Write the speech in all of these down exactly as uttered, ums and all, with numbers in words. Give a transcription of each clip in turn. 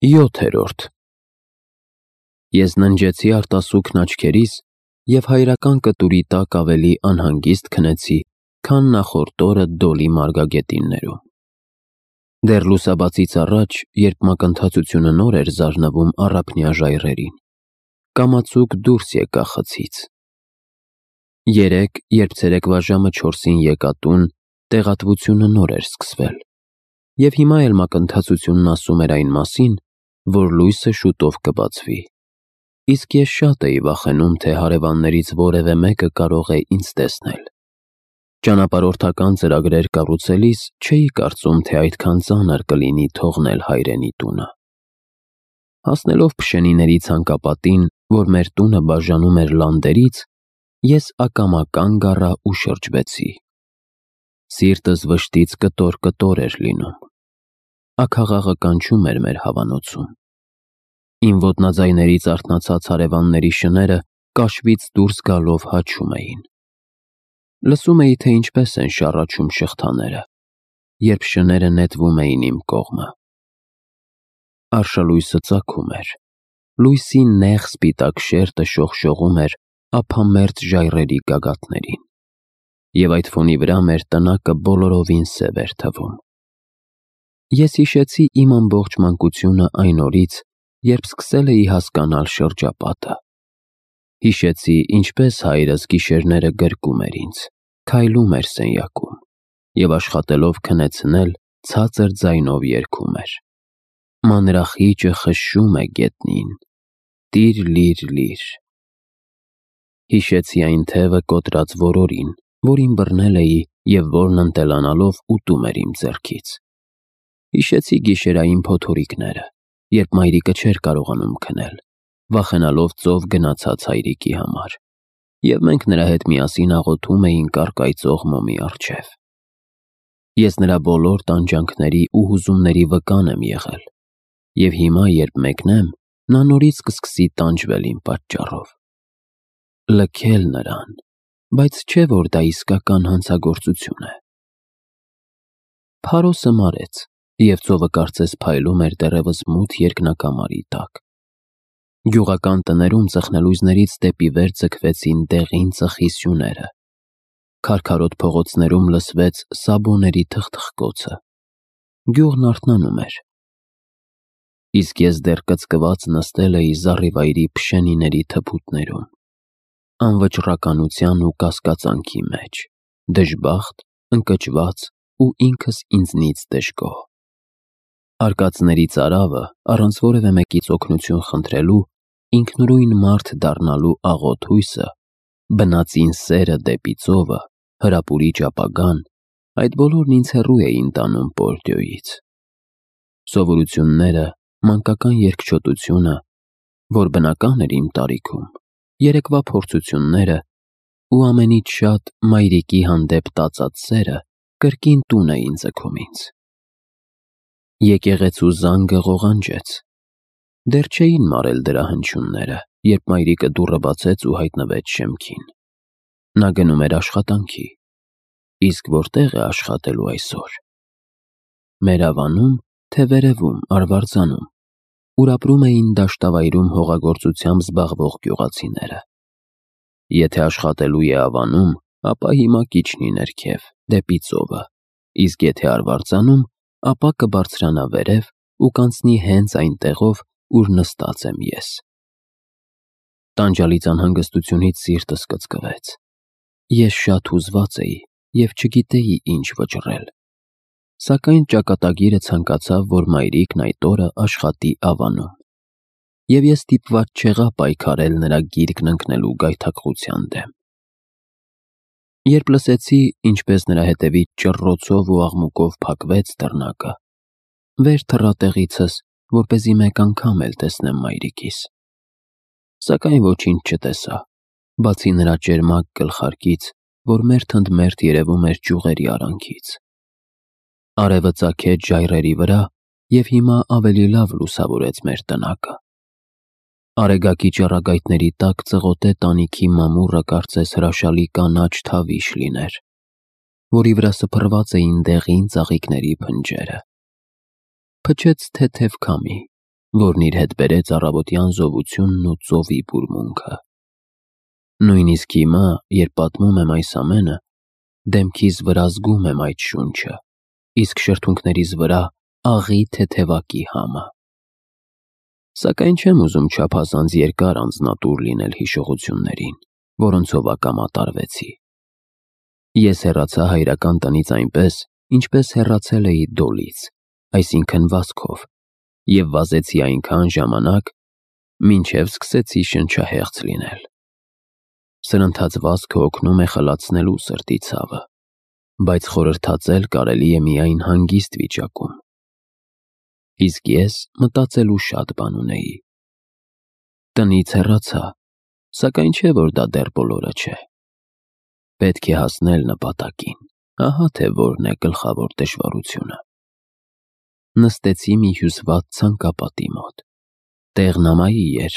Յոթերորդ Ես ննջեցի արտասուքն աչքերիս և հայրական կտուրի տակ ավելի անհանգիստ քնեցի, քան նախորդ օրը Դոլի մարգագետիններում։ Դեռ լուսաբացից առաջ, երբ մակընթացությունը նոր էր զարնվում առափնյա ժայռերին, կամացուկ դուրս եկա խցից։ Երեկ, երբ ցերեկվա ժամը չորսին եկա տուն, տեղատվությունը նոր էր սկսվել, և հիմա էլ մակընթացությունն ասում էր այն մասին, որ լույսը շուտով կբացվի, իսկ ես շատ էի վախենում, թե հարևաններից որևէ մեկը կարող է ինձ տեսնել։ Ճանապարհորդական ծրագրեր կառուցելիս չէի կարծում, թե այդքան ծանր կլինի թողնել հայրենի տունը։ Հասնելով Փշենիների ցանկապատին, որ մեր տունը բաժանում էր լանդերից, ես ակամա կանգ առա ու շրջվեցի։ Սիրտս վշտից կտոր-կտոր էր լինում։ Աքաղաղը կանչում էր մեր հավանոցում։ Իմ ոտնաձայներից արթնացած հարևանների շները կաշվից դուրս գալով հաչում էին։ Լսում էի, թե ինչպես են շառաչում շղթաները, երբ շները նետվում էին իմ կողմը։ Արշալույսը ծագում էր։ Լույսի նեղ սպիտակ շերտը շողշողում էր ափամերձ ժայռերի գագաթներին, և այդ ֆոնի վրա մեր տնակը բոլորովին սև էր թվում։ Ես հիշեցի իմ ամբողջ մանկությունը այն օրից, երբ սկսել էի հասկանալ շրջապատը։ Հիշեցի, ինչպես հայրս գիշերները գրկում էր ինձ, քայլում էր սենյակում և աշխատելով քնեցնել, ցածր ձայնով երգում էր. «Մանրախիճը խշշում է գետնին, տիր֊լիր-լիր»։ Հիշեցի այն թևը կոտրած որորին, որին բռնել էի և որն ընտելանալով ուտում էր իմ ձեռքից։ Հիշեցի գիշերային փոթորիկները, երբ մայրիկը չէր կարողանում քնել, վախենալով ծով գնացած հայրիկի համար, և մենք նրա հետ միասին աղոթում էինք առկայծող մոմի առջև։ Ես նրա բոլոր տանջանքների ու հուզումների վկան եմ եղել, և հիմա, երբ մեկնեմ, նա նորից կսկսի տանջվել իմ պատճառով։ Լքել նրան, բայց չէ՞ որ դա իսկական հանցագործություն է։ Փարոսը մարեց, և ծովը կարծես փայլում էր դեռևս մութ երկնակամարի տակ։ Գյուղական տներում ծխնելույզներից դեպի վեր ձգվեցին դեղին ծխի սյուները։ Քարքարոտ փողոցներում լսվեց սաբոների թխթխկոցը։ Գյուղն արթնանում էր։ Իսկ ես դեռ կծկված նստել էի զառիվայրի Փշենիների թփուտներում, անվճռականության ու կասկածանքի մեջ, դժբախտ, ընկճված ու ինքս ինձնից դժգոհ։ Արկածների ծարավը, առանց որևէ մեկից օգնություն խնդրելու, ինքնուրույն մարդ դառնալու աղոտ հույսը, բնածին սերը դեպի ծովը, հրապուրիչ ապագան, այդ բոլորն ինձ հեռու էին տանում Պորտոյից։ Սովորությունները, մանկական երկչոտությունը, որ բնական էր իմ տարիքում, երեկվա փորձությունները ու ամենից շատ մայրիկի հանդեպ տածած սերը կրկին տուն էին ձգում ինձ։ Եկեղեցու զանգը ղողանջեց։ Դեռ չէին մարել դրա հնչյունները, երբ մայրիկը դուռը բացեց ու հայտնվեց շեմքին։ Նա գնում էր աշխատանքի։ Իսկ որտե՞ղ է աշխատելու այսօր։ Մեր ավանում, թե վերևում, Արվարձանում, ուր ապրում էին դաշտավայրում հողագործությամբ զբաղվող գյուղացիները։ Եթե աշխատելու է Ավանում, ապա հիմա կիջնի ներքև, դեպի ծովը, իսկ եթե Արվարձանում, ապա կբարձրանա վերև ու կանցնի հենց այն տեղով, ուր նստած եմ ես։ Տանջալից անհանգստությունից սիրտս կծկվեց։ Ես շատ հուզված էի և չգիտեի ինչ վճռել։ Սակայն ճակատագիրը ցանկացավ, որ մայրիկն այդ օրը աշխատի Ավանում, և ես ստիպված չեղա պայքարել նրա գիրկն ընկնելու գայթակղության դեմ։ Երբ լսեցի, ինչպես նրա հետևից ճռռոցով ու աղմուկով փակվեց դռնակը, վեր թռա տեղիցս, որպեսզի մեկ անգամ էլ տեսնեմ մայրիկիս։ Սակայն ոչինչ չտեսա, բացի նրա ճերմակ գլխարկից, որ մերթ ընդ մերթ երևում էր ճյուղերի արանքից։ Արևը ծագեց ժայռերի վրա և հիմա ավելի լավ լուսավորեց մեր տնակը։ Արեգակի ճառագայթների տակ ծղոտե տանիքի մամուռը կարծես հրաշալի կանաչ թավիշ լիներ, որի վրա սփռված էին դեղին ծաղիկների փնջերը։ Փչեց թեթև քամի, որն իր հետ բերեց առավոտյան զովությունն ու ծովի բուրմունքը։ Նույնիսկ հիմա, երբ պատմում եմ այս ամենը, դեմքիս վրա զգում եմ այդ շունչը, իսկ շրթունքներիս վրա աղի թեթևակի համը։ Սակայն չեմ ուզում չափազանց երկար անձնատուր լինել հիշողություններին, որոնցով ակամատարվեցի։ Ես հեռացա հայրական տնից այնպես, ինչպես հեռացել էի Դոլից, այսինքն վազքով, և վազեցի այնքան ժամանակ, մինչև սկսեցի շնչահեղձ լինել։ Սրընթաց վազքը օգնում է խլացնելու սրտի ցավը, բայց խորհրդածել կարելի է միայն հանգիստ վիճակում։ Իսկ ես մտածելու շատ բան ունեի։ Տնից հեռացա, սակայն չէ, որ դա դեռ բոլորը չէ։ Պետք է հասնել նպատակին, ահա թե որն է գլխավոր դժվարությունը։ Նստեցի մի հյուսված ցանկապատի մոտ։ Տեղն ամայի էր,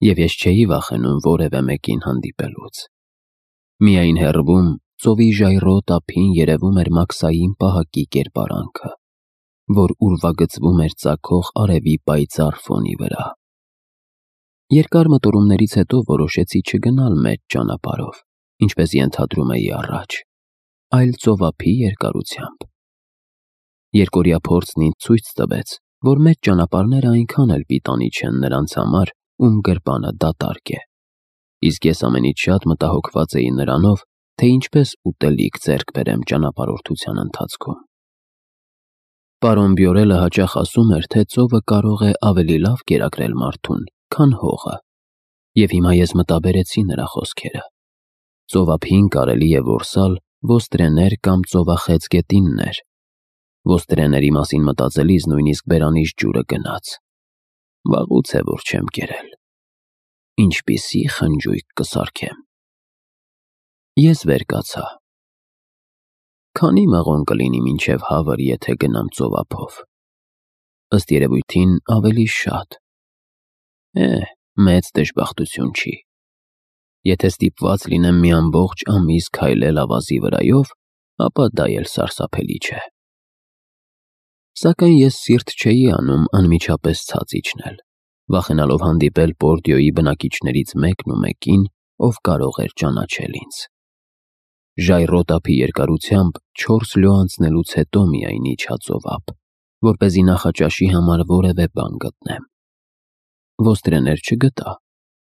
և ես չէի վախենում որևէ մեկին հանդիպելուց։ Միայն հեռվում ծովի ժայռոտ ափին երևում էր Մաքսային պահակի կերպարանքը, որ ուրվագծվում էր ծագող արևի պայծառ ֆոնի վրա։ Երկար մտորումներից հետո որոշեցի չգնալ մեծ ճանապարհով, ինչպես ենթադրում էի առաջ, այլ ծովափի երկարությամբ։ Երկօրյա փորձն ինձ ցույց տվեց, որ մեծ ճանապարհները այնքան էլ պիտանի չեն նրանց համար, ում գրպանը դատարկ է, իսկ ես ամենից շատ մտահոգված էի նրանով, թե ինչպես ուտելիք ձեռք բերեմ ճանապարհորդության ընթացքում։ Պարոն Բյորելը հաճախ ասում էր, թե ծովը կարող է ավելի լավ կերակրել մարդուն, քան հողը, և հիմա ես մտաբերեցի նրա խոսքերը։ Ծովափին կարելի է որսալ ոստրեներ կամ ծովախեց գետիններ։ Ոստրեների մասին մտածելիս նույնիսկ բերանից ջուրը գնաց։ Վաղուց է, որ չեմ կերել։ Ինչպիսի խնջույք կսարքեմ։ Ես վեր կացա։ Քանի մղոն կլինի մինչև Հավր, եթե գնամ ծովափով։ Ըստ երևույթին ավելի շատ։ Է, մեծ դժբախտություն չի։ Եթե ստիպված լինեմ մի ամբողջ ամիս քայլել ավազի վրայով, ապա դա էլ սարսափելի չէ։ Սակայն ես սիրտ չէի անում անմիջապես ցած իջնել, վախենալով հանդիպել Պորդիոյի բնակիչներից մեկն ու մեկին, ով կարող էր ճանաչել ինձ։ Ժայռոտ ափի երկարությամբ չորս լո անցնելուց հետո միայն իջա ծովափ, որպեսզի նախաճաշի համար որևէ բան գտնեմ։ Ոստրեներ չգտա,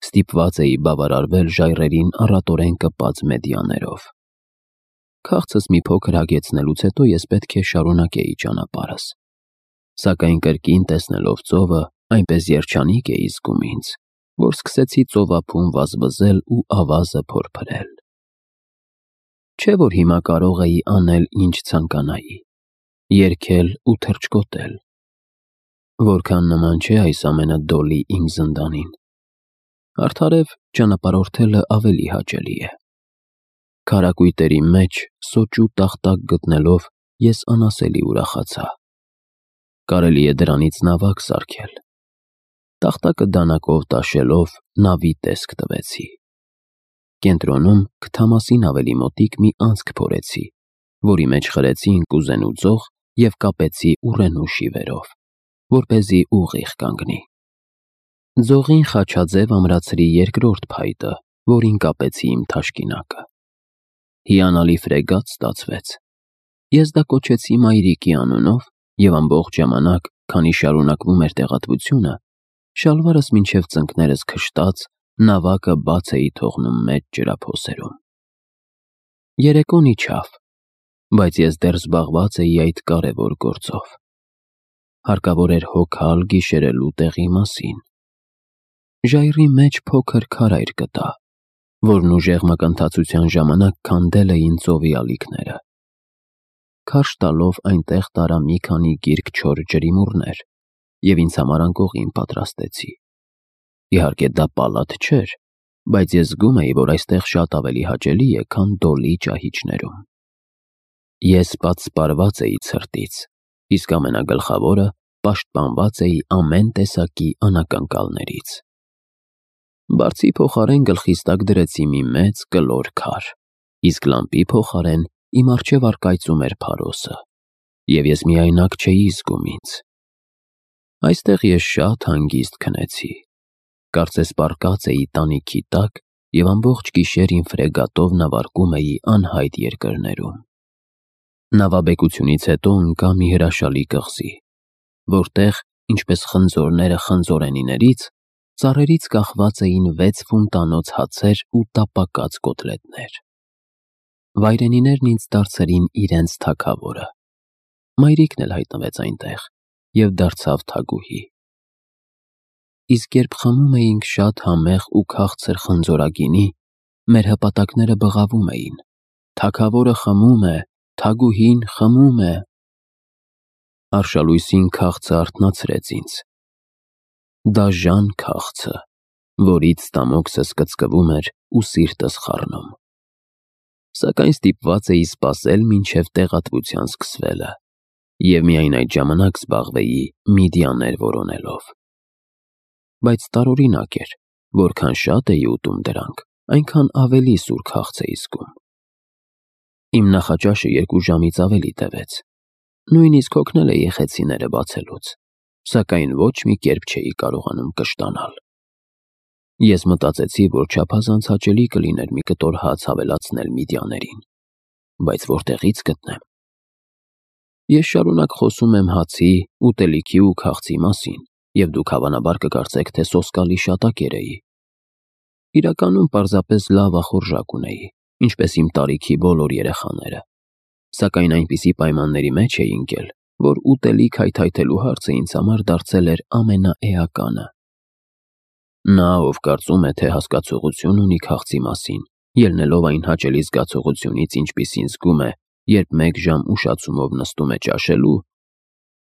ստիպված էի բավարարվել ժայռերին առատորեն կպած մեդիաներով։ Քաղցս մի փոքր հագեցնելուց հետո ես պետք է շարունակեի ճանապարհս, սակայն կրկին տեսնելով ծովը, այնպես երջանիկ էի զգում ինձ, որ սկսեցի ծովափում վազվզել ու ավազը փորփրել։ Չէ՞ որ հիմա կարող էի անել ինչ ցանկանայի, երգել ու թռչկոտել։ Որքան նման չէ այս ամենը Դոլի իմ զնդանին։ Արդարև ճանապարհորդելը ավելի հաճելի է։ Քարակույտերի մեջ սոճու տախտակ գտնելով ես անասելի ուրախացա։ Կարելի է դրանից նավակ սարքել։ Տախտակը դանակով տաշելով նավի տեսք տվեցի։ Կենտրոնում քթամասին ավելի մոտիկ մի անցք փորեցի, որի մեջ խրեցի ինկուզենու ձող և կապեցի ուռենու շիվերով, որպեսզի ուղիղ կանգնի։ Ձողին խաչաձև ամրացրի երկրորդ փայտը, որին կապեցի իմ թաշկինակը։ Հիանալի ֆրեգատ ստացվեց։ Ես դա կոչեցի մայրիկի անունով և ամբողջ ժամանակ, քանի շարունակվում էր տեղատվությունը, շալվարս մինչև ծնկներս քշտած, նավակը բաց էի թողնում մեծ ջրափոսերում։ Երեկոն իջավ, բայց ես դեռ զբաղված էի այդ կարևոր գործով։ Հարկավոր էր հոգալ գիշերելու տեղի մասին։ Ժայռի մեջ փոքր քարայր գտա, որն ուժեղ մակընթացության ժամանակ քանդել էին ծովի ալիքները։ Քարշ տալով այնտեղ տարա մի քանի գիրք չոր ջրիմուռներ և ինձ համար անկողին պատրաստեցի։ Իհարկե դա պալատ չէր, բայց ես զգում էի, որ այստեղ շատ ավելի հաճելի է, քան Դոլի ճահիճներում։ Ես պատսպարված էի ցրտից, իսկ ամենագլխավորը պաշտպանված էի ամեն տեսակի անակնկալներից։ Բարձի փոխարեն գլխիս տակ դրեցի մի մեծ կլոր քար, իսկ լամպի փոխարեն իմ առջև առկայծում էր փարոսը, և ես միայնակ չէի զգում ինձ։ Այստեղ ես շատ հանգիստ քնեցի, կարծես պառկած էի տանիքի տակ և ամբողջ գիշեր իմ ֆրեգատով նավարկում էի անհայտ երկրներում։ Նավաբեկությունից հետո ընկա մի հրաշալի կղզի, որտեղ, ինչպես խնձորները խնձորենիներից, ծառերից կախված էին վեց ֆունտանոց հացեր ու տապակած կոտլետներ։ Վայրենիներն ինձ դարձրին իրենց թագավորը։ Մայրիկն էլ հայտնվեց այնտեղ և դարձավ թագուհի։ Իսկ երբ խմում էինք շատ համեղ ու քաղցր խնձորագինի, մեր հպատակները բղավում էին. «Թագավորը խմում է, թագուհին խմում է»։ Արշալույսին քաղցը արթնացրեց ինձ։ Դաժան քաղցը, որից ստամոքսս կծկվում էր ու սիրտս խառնում։ Սակայն ստիպված էի սպասել մինչև տեղատվության սկսվելը և միայն այդ ժամանակ զբաղվեի միդիաներ որոնելով։ Բայց տարօրինակ էր, որքան շատ էի ուտում դրանք, այնքան ավելի սուր քաղց էի զգում։ Իմ նախաճաշը երկու ժամից ավելի տևեց։ Նույնիսկ հոգնել էի խեցիները բացելուց, սակայն ոչ մի կերպ չէի կարողանում կշտանալ։ Ես մտածեցի, որ չափազանց հաճելի կլիներ մի կտոր հաց ավելացնել միդիաներին, բայց որտեղի՞ց գտնեմ։ Ես շարունակ խոսում եմ հացի, ուտելիքի ու քաղցի մասին, և դուք հավանաբար կկարծեք, թե սոսկալի շատակեր էի։ Իրականում պարզապես լավ ախորժակ ունեի, ինչպես իմ տարիքի բոլոր երեխաները, սակայն այնպիսի պայմանների մեջ էի ընկել, որ ուտելիք հայթայթելու հարցը ինձ համար դարձել էր ամենաէականը։ Նա, ով կարծում է, թե հասկացողություն ունի քաղցի մասին, ելնելով այն հաճելի զգացողությունից, ինչպիսին զգում է, երբ մեկ ժամ ուշացումով նստում է ճաշելու,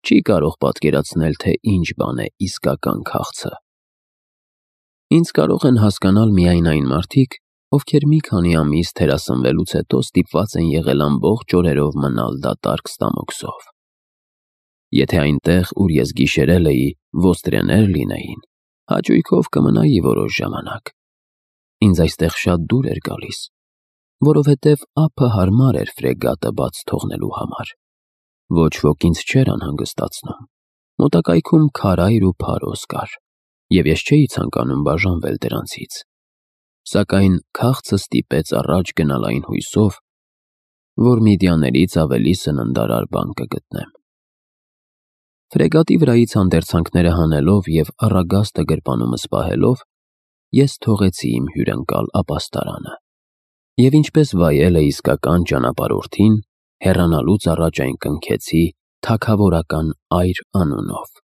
չի կարող պատկերացնել, թե ինչ բան է իսկական քաղցը։ Ինձ կարող են հասկանալ միայն այն մարդիկ, ովքեր մի քանի ամիս թերասնվելուց հետո ստիպված են եղել ամբողջ օրերով մնալ դատարկ ստամոքսով։ Եթե այնտեղ, ուր ես գիշերել էի, ոստրեներ լինեին, հաճույքով կմնայի որոշ ժամանակ։ Ինձ այստեղ շատ դուր էր գալիս, որովհետև ափը հարմար էր ֆրեգատը բաց թողնելու համար։ Ոչ ոք ինձ չէր անհանգստացնում։ Մոտակայքում քարայր ու փարոս կար, և ես չէի ցանկանում բաժանվել դրանցից։ Սակայն քաղցը ստիպեց առաջ գնալ այն հույսով, որ միդիաներից ավելի սննդարար բան կգտնեմ։ Ֆրեգատի վրայից հանդերձանքները հանելով և առագաստը գրպանումս պահելով, ես թողեցի իմ հյուրընկալ ապաստարանը և ինչպես վայել է իսկական ճանապարհորդին, հեռանալուց առաջ այն կնքեցի թագավորական այր անունով։